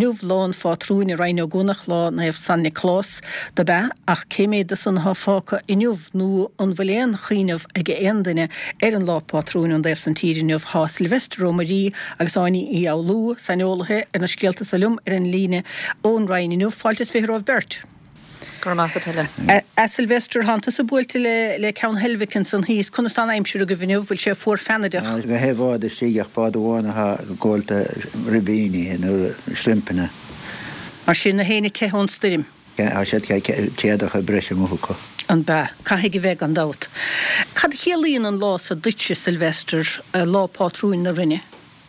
Inniu lá an phátrúin i Rinn Ó gCuanach, lá Naomh San Nioclás dob ea, ach cé méad de san atá fágtha inniu nó an bhfuil aon chuimhneamh ag aon duine ar an lá pátrúin ón dtaobh san tíre inniu? Tá Sylvester Ó Muirí agus Áine Uí Fhoghlú, saineolaithe ar na scéalta so liom ar an líne ón Rinn inniu. Fáilte is 20 romhaibh beirt. Go raibh maith agat, Helen. A Sylvester, thánn tusa buailte le Ceann Heilbhic ansan thíos. Conas tá an aimsir agaibh inniu? Bhfuil sé fuar feannaideach? Tá gach aon bhád istigh ach bád amháin atá ag gabháil ribíní nó srimpeanna. Mar sin, na héinne ag teitheadh ón stoirm? Tá siad téadacha breise amuigh acu. An bea? Caithfidh a bheith, gan dabht. Cad a chiallaíonn an lá so duitse, Sylvester, lá pátrúin na Rinne?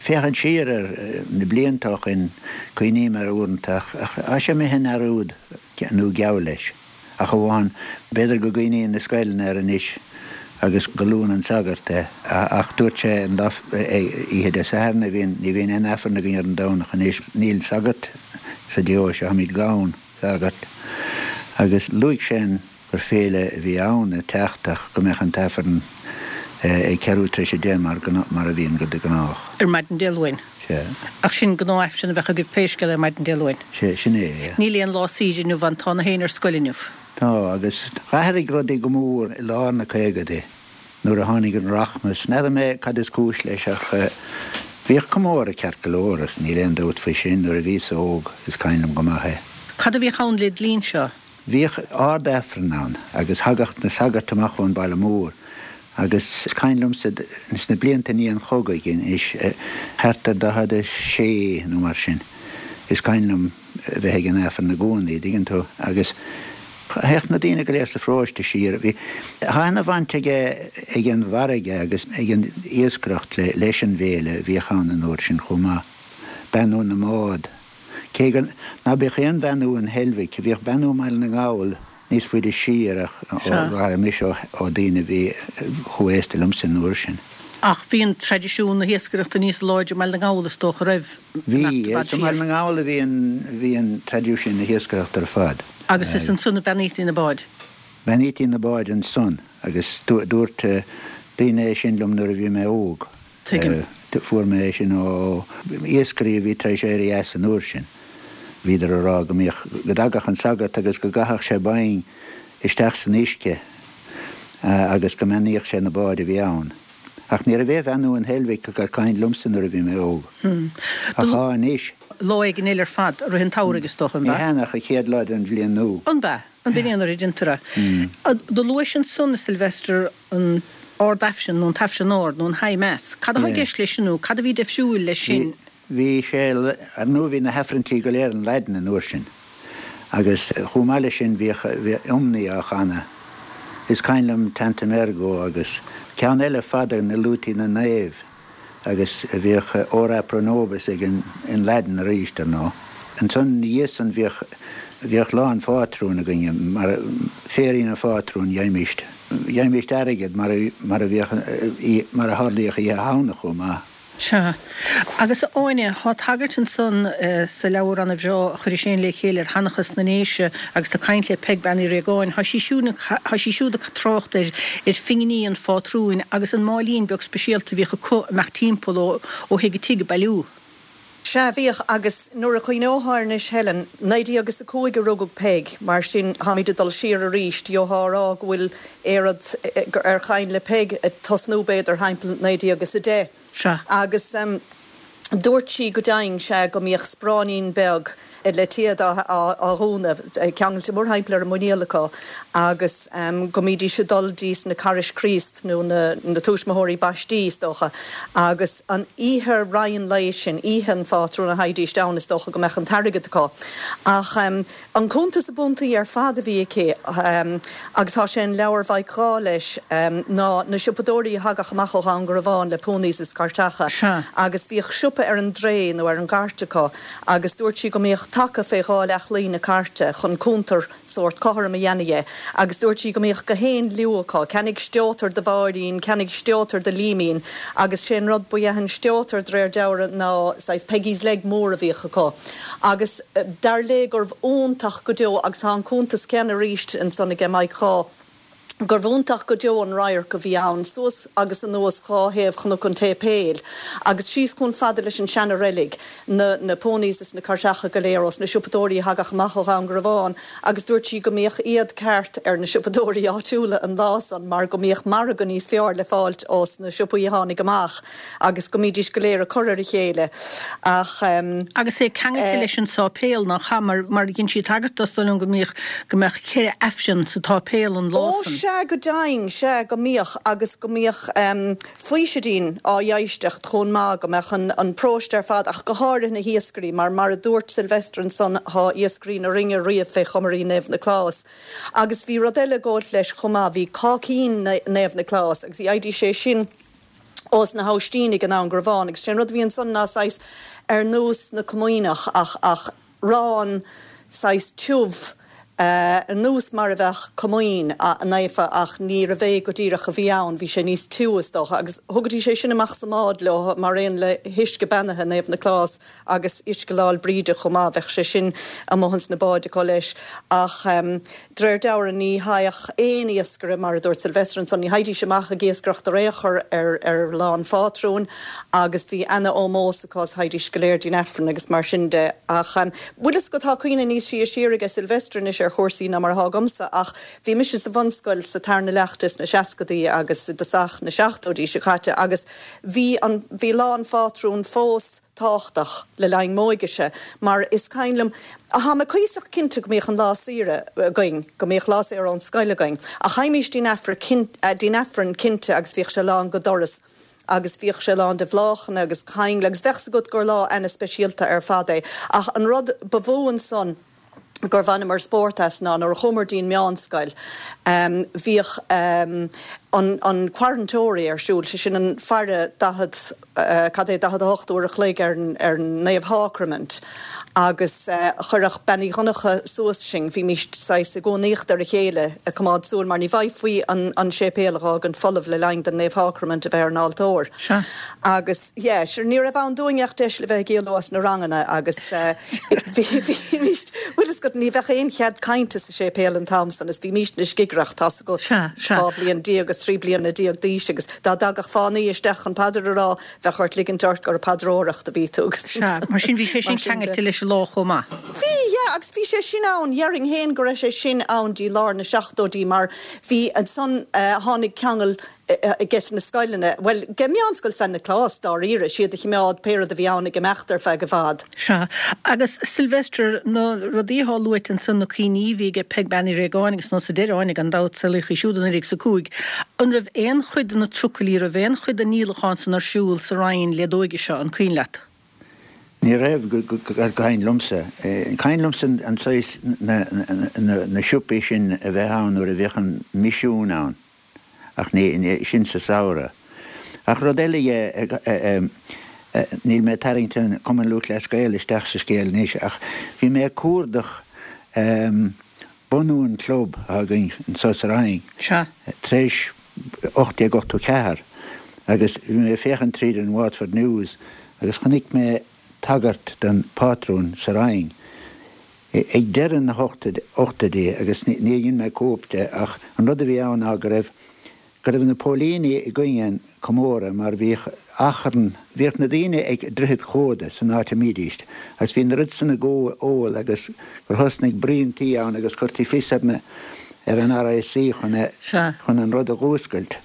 Féachaint siar ar na blianta ó shoin, cuimhním air uaireanta, ach tá sé imithe i ndearúd, nó geall leis. Ach amháin, b'fhéidir go gcuimhníonn na scoileanna air anois agus go luann an sagart é, ach dúirt sé an lá, oíche Dé Sathairn a bhíonn, ní bhíonn aon Aifreann againn ar an Domhnach anois, níl sagart sa deoise, táimid gann sagart, agus luaigh sé an. gur féile a bhí ann ag teacht ach go mbeadh an t-Aifreann ag ceathrú tar éis 10 mar mar a bhíonn de gnách. Ar maidin Dé Luain. Sea. Ach sin gnáth-Aifreann a bheadh agaibh pé scéal é ar maidin Dé Luain. Sea, sin é, yeah. Níl aon lá saoire inniu ann, tá na héinne ar scoil inniu. Tá, agus d'athraigh rudaí go mór i lár na caogaidí nuair a tháinig an rachmas. N'fheadar mé cad is cúis leis ach bhíodh comóradh ceart go leor, níl aon dabht faoi sin, nuair a bhíos-sa óg, is cuimhin liom go maith é. Cad a bhíodh ann led linn-se? Bhíodh Ard-Aifreann ann agus thagadh na sagairt amach ón baile mór agus is cuimhin liomsa sna blianta i ndiaidh an chogaidh anois, thart ar 46 nó mar sin, is cuimhin liom a bheith ag an Aifreann i gcónaí, dtuigeann tú, agus théadh na daoine go léir sa pharóiste siar. Bhí, tá ana-bhaint ag ag an bhfarraige agus ag an iascaireacht leis an bhféile a bhíodh ann an uair sin chomh maith, beannú na mbád. Cé go ná beadh aon bheannú in Heilbhic, bhíodh beannú i mBaile na nGall níos faide siar ach d'airigh mise ó daoine a bhí chomh aosta liomsa an uair sin. Ach bhí an traidisiún na hiascaireachta níos láidre i mBaile na nGall is dócha roimh imeacht i bhfad siar. Bhí, is i mBaile na nGall a bhí an bhí an traidisiún na hiascaireachta ar fad. Agus is ansan a bheannaítí na báid. Bheannaítí na báid ansan agus dúirt daoine é sin liom nuair a bhí mé óg. Tuigim. Fuair mé é sin ó iascairí a bhí tar éis éirí as an uair sin. Bhíodar a rá go mbíodh, go dtagadh an sagart agus go gcaitheadh sé boing isteach san uisce agus go mbeannaíodh sé na báid a bhí ann. Ach ní raibh aon bheannú in Heilbhic gur cuimhin liomsa nuair a bhí mé óg. Ach tá anois. Lá éigin eile ar fad, i rith an tsamhraidh is dócha, an b'ea? Ní hea, ach an chéad lá den bhliain nua. An b'ea? An b'in é an uair a deintear é? Do luais ansan, a Sylvester, an Ard-Aifreann nó an tAifreann Ard nó an High Mass. Cad atá i gceist leis sin nó cad a bhí deifriúil leis sin? Bhí sé, ar ndóigh bhí na hAifrinntí go léir in Laidin an uair sin agus chomh maith leis sin bhíodh iomnaí á chanadh. Is cuimhin liom Tantum Ergo agus ceann eile fada na luaití na naomh. Agus bhíodh Ora pro nobis ag an, in Laidin arís, ar ndóigh. Ansan ina dhiaidh san bhíodh, bhíodh Lá an Phátrúin againne, mar, Féirín an Phátrúin, gheibhimíst, gheibhimíst airgead mar a, mar a bhíodh, mar a tharlaíodh Oíche Shamhna chomh maith. Sea. Agus a Áine, thá tagairt ansan sa leabhar ana-bhreá a chuiris fhéin le chéile ar sheanchas na nDéise agus tá caint le Peig Bean Uí Riagáin, thá sí siúd, thá sí siúd ag trácht ar, ar phinginí an phátrúin agus an máilín beag speisialta a bhíodh acu ag imeacht timpeall ó, ó thigh go tigh ag bailiú. Sea, bhíodh, agus nuair a chuimhneofá air anois Helen, 1905 a rugadh Peig, mar sin táimid ag dul siar arís, gheofá a rá go bhfuil aon rud ar chaint le Peig ag tosnú b'fhéidir thimpeall 1910. Sea. Agus dúirt sí go deimhin, sea, go mbíodh spráinín beag le téad á dhúnadh, ceangailte mórthimpeall ar a muiníl acu agus go mbídís ag dul dtís na Carghais Chríost nó na tuismitheoirí baistí, is dócha, agus an oíche roimh an lae sin, oíche an phátrúin a theighdíst ann, is dócha go mbeadh an t-airgead acu. Ach. An cuntas ab iontaí ar fad a bhí aici, agus tá sé in leabhar Mhaidhc Dháith leis, ná na siopadóirí a thagadh amach ó Dhún Garbhán le ponies is cairteacha agus bhíodh siopa ar an dtrae nó ar an gcairt acu agus dúirt sí go mbíodh taca fé dhá leath-chlaí na cairte chun cuntar sórt cothrom a dhéanamh dhe agus dúirt sí go mbíodh gach aon liú acu, ceannaigh steotar do Mháirín, ceannaigh steotar do Liaimín agus sé an rud ba ea an steotar de réir dealraimh ná saghas Peggy's leg mór a bhíodh acu. Agus dar léi gurbh iontach go deo, agus tá an cuntas céanna arís ansan aige Mike Dháith. Gurbh iontach go deo an radharc a bhí ann, suas agus anuas dhá thaobh Chnoc an tSéipéil, agus síos chomh fada leis an seana-reilig, na na ponies is na cairteacha go léir ós na siopadóirí a thagadh amach ó Dhún Garbhán, agus dúirt sí go mbíodh éad ceart ar na siopadóirí áitiúla an lá san mar go mbíodh margadh níos fearr le fáilt ós na siopaí a tháinig amach agus go mbídís go léir ag cur ar a chéile. Ach. Agus é ceangailte leis an sáipéal, nach ea? Mar, mar dhein sí tagairt do, is dóigh liom go mbíodh, go mbeadh cheithre Aifreann sa tsáipéal an lá Ó san. sea, go deimhin, sea, go mbíodh, agus go mbíodh faoisidín á dh'éisteacht chomh maith, go mbeadh an, an paróiste ar fad, ach go háirithe na hiascairí, mar, mar a dúirt Sylvester ansan, thá iascairí na Rinne riamh fé chomairí Naomh Nioclás. Agus bhí rud eile ag gabhailt leis chomh maith, bhí cáicín Naomh Nioclás, agus gheibhtí sé sin ós na hAibhsítínigh i nDún Garbhán, agus sé an rud a bhí ansan ná saghas ar nós na comaoineach ach, ach arán saghas tiubh, ar nós mar a bheadh comaoin naofa ach níorbh é go díreach a bhí ann, bhí sé níos tiubh is dócha agus thugaidís é sin amach sa mbád leo mar aon le huisce beannaithe Naomh Nioclás agus uisce Lá'l Bríde chomh maith, bheadh sé sin amuigh ins na báid acu leis ach d'réir dealraimh ní thaghadh aon iascaire mar a dúirt Sylvester ansan, ní thaghaidís amach ag iascaireacht ar aon chor ar ar Lá an Phátrúin agus bhí ana-ómós acu is thaghaidís go léir dtí'n Aifreann agus mar sin de. Ach bhfuil fhios agat tá cuimhne níos sia siar aige Sylvester anois ar chúrsaí ná mar atá agamsa ach bhí mise sa bhunscoil sa tarna leath des na seascadaí agus i dtosach na seachtóidí seo caite agus bhí an bhí Lá an Phátrúin fós tábhachtach le linn m'óigese mar is cuimhin liom, thá mé cuíosach cinnte go mbíodh an lá saoire againn, go mbíodh lá saor ón scoil againn, ach theighmís dtí'n dtí'n Aifreann cinnte agus bhíodh sé lán go doras agus bhíodh sé lán de bhláthanna agus caingle agus bheadh 's agat gur lá ana-speisialta ar fad é. Ach an rud ba mhó ansan, gur bhaineamar spórt as ná nuair a chuamar dtí'n meánscoil bhíodh an an Quarantore ar siúl, sé sin an faire 40, cad é, 48 uair a chloig ar an ar an Naomh Shácraimint agus chuirfeadh Bean Uí Dhonncha suas sinn, bhímíst saghas i gcuanaíocht ar a chéile ag coimeád súil mar ní bhfaighfí an an séipéal a dh'fhágaint folamh le linn don Naomh Shácraimint a bheith ar an altóir. Sea. Agus yeah, sure ní raibh ann dúinn ach deis le bheith ag éalú as na ranganna agus bhímíst, bhfuil fhios agat, ní bheadh aon chead cainte sa séipéal an t-am san is bhímíst-ne scigireach, tá's agat, Sea, sea. 12 bhliain agus 13 bliana d'aois agus dá dtagadh fánaí isteach chun paidir a rá, bheadh ort ligint ort gur ag paidreoireacht a bhí tú agus Sea, mar sin bhí sé sin mar sin de. ceangailte leis an lá chomh maith. Bhí, yeah, agus bhí sé sin ann, dhéarfainn féin go raibh sé sin ann dtí lár na seachtóidí mar bhí ansan, tháinig ceangal ages na scoileanna, bhuel, ge Meánscoil San Nioclás, dáiríre, siad a chimeád pé rud a bhí ann ag imeacht ar feadh i bhfad. Sea. Agus Sylvester, na rudaí athá luaite ansan, na cuimhní a bhí aige Peig Bean Uí Réagáin agus ansan sa deireadh Áine gan dabht, saolaíodh í siúd i 1905. An raibh aon chuid de na trucailí, raibh aon chuid den ndíolachán san ar siúl sa Rinn led óige seo, an cuimhin leat? Ní raibh, go cuimhin liomsa. Cuimhin liomsa an saghas, na siopaí sin a bheith ann nuair a bhíodh an misiún ann. Ach ní, sin sa samhradh. Ach rud eile dhe, níl mé ag tarraingt an Cumann Lúthchleas Gael isteach sa scéal anois, ach bhí mé ag cuardach bunú an chlub atá againn anso sa Rinn Sea. tar éis 1884 agus bhí mé ag féachaint tríd an Waterford News agus chonaic mé tagairt don phátrún sa Rinn. Ag deireadh na hochtóidí, agus níor dhein mé cóip de, ach an rud a bhí ann ná go raibh, go raibh na póilíní i gcoinne an comóradh mar bhíodh achrann, bhíodh na daoine ag Droichead Chóda san áit a mbídíst agus bhí an oiread san ag ól agus gur thosnaigh bruíontaí ann agus chuirtí fios ar na, ar an RIC chun a, chun an rud a dh'fhuascailt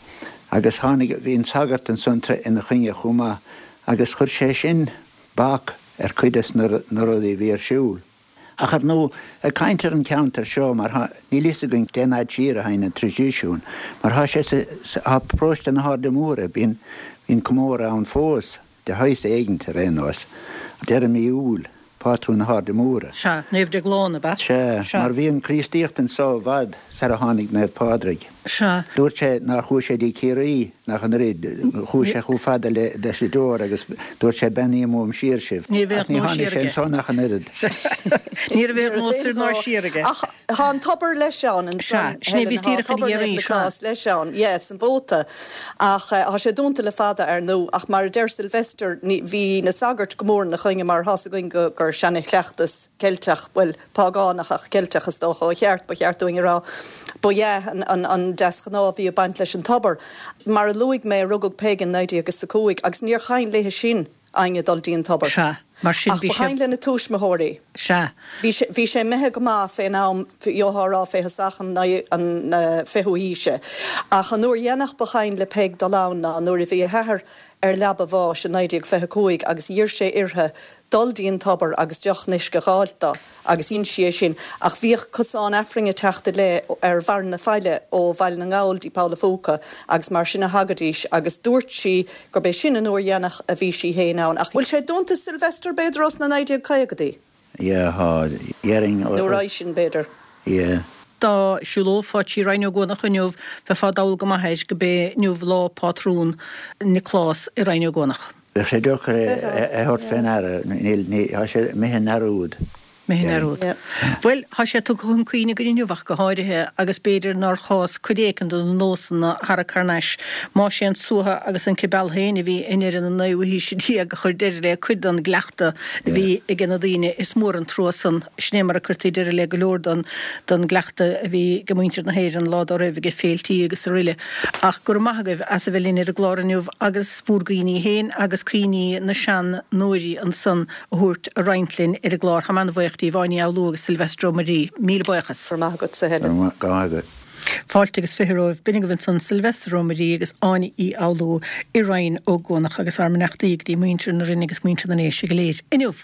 agus tháinig, bhí an sagart ansan ina choinne chomh maith agus chuir sé sin bac ar chuid des na rudaí a bhí ar siúl. Ach ar ndóigh, ag caint ar an cheantar seo, mar thá, níl fhios againn cén fhad siar a théann an traidisiún, mar thá sé sa, sa, thá paróiste na hAirde Móire, bíonn, bíonn comóradh ann fós, de shaghas éigint ar aon nós, deireadh mí Iúil, pátrún na hAirde Móire. Sea, Naomh Déaglán, ab ea? Sea, Sea. mar bhí an Chríostaíocht anso i bhfad sar a tháinig Naomh Pádraig. Sea. Dúirt sé nár chuaigh sé dtí Ciarraí. Ach an oiread, chuaigh sé chomh fada leis an deor agus dúirt sé beannaím uaim siar sibh. Ní bheadh Ach ní nós tháinig siar sé aige. ansan ach an oiread. Ní raibh aon nós soir ná siar aige. Ach tá an tobar leis ann Sea, ansan, sin é Helen, bhíos tá díreach ina tobar iarraidh, Naomh sea. Nioclás leis ann, yeah, san Mhóta. Ach tá sé dúnta le fada, ar ndú. Ach mar a deir Sylvester, ní, bhí na sagairt go mór ina choinne mar tá's againn go, gur seana-chleachtas Ceilteach, bhuel, págánach ach Ceilteach is dócha ó cheart, ba cheart dúinn a rá, ba ea an deasghnáth a bhí ag baint leis an tobar. Mar a luaigh mé, rugadh Peig in 1905 agus níor chain léithe sin éinne dul dtí an tobar. Sea, mar sin Ach bhí ba sé. chain lena tuismitheoirí. Sea. Bhí sé, bhí sé imithe go maith fén am, gheofá a rá fé thosach an fichiú haoise. Ach an uair dhéanach ba chain le Peig dul ann ná nuair a bhí a hathair ar leaba a bháis i 1925 agus d'iarr sé uirthi dul dtí an tobar agus deoch an uisce dh'fháilt do, agus dhein sí é sin, ach bhíodh cosán Aifrinn ag teacht i leith ar bharr na faille ó Bhaile na nGall dtí Poll a' Phúca agus mar sin a thagaidís agus dúirt sí gurb é sin an uair dhéanach a bhí sí féin ann. Ach bhfuil sé dúnta Sylvester b'fhéidir ós na 1950idí? Yeah, thá, déarfainn. Nó roimhe sin b'fhéidir. Yeah. Dá siúlófá trí Rinn Ó gCuanach inniu bheifeá dall go maith air go b'é inniu lá pátrún Nioclás i Rinn Ó gCuanach. Bheadh sé deacair é a thabhairt fé ndeara, níl, tá sé imithe i ndearúd. Imithe i ndearúd. Bhuel, tá sé tugtha chun cuimhne againn inniu ach go háirithe, agus b'fhéidir nár chás cuid éicint de na nósanna a tharrac thar n-ais. Más é an suaitheadh agus an cibeal féin a bhí i ndeireadh na naoú haoise déag a chuir deireadh le cuid den gcleachtadh a bhí aige na daoine, is mór an trua san. Sin é mar a cuirtí deireadh le go leor den gcleachtadh a bhí ag muintir na hÉireann lá dá raibh aige féiltí agus aroile. Ach go raibh maith agaibh as a bheith linn ar an gclár inniu agus bhúr gcuimhní féin agus cuimhní na seanóirí ansan a thabhairt a roinnt linn ar an gclár. Táim an-bhaoch díbh, Áine Uí Fhoghlú agus Sylvester Ó Muirí. Míle buíochas. Go raibh maith agatsa, Helen. Go raibh maith agat. Fáilte agus 20 romhaibh. B'in agaibh ansan Sylvester Ó Muirí agus Áine Uí Fhoghlú i Rinn Ó gCuanach agus ár mbeannachtaí go dtí muintir na Rinne agus muintir na nDéise go léir inniu.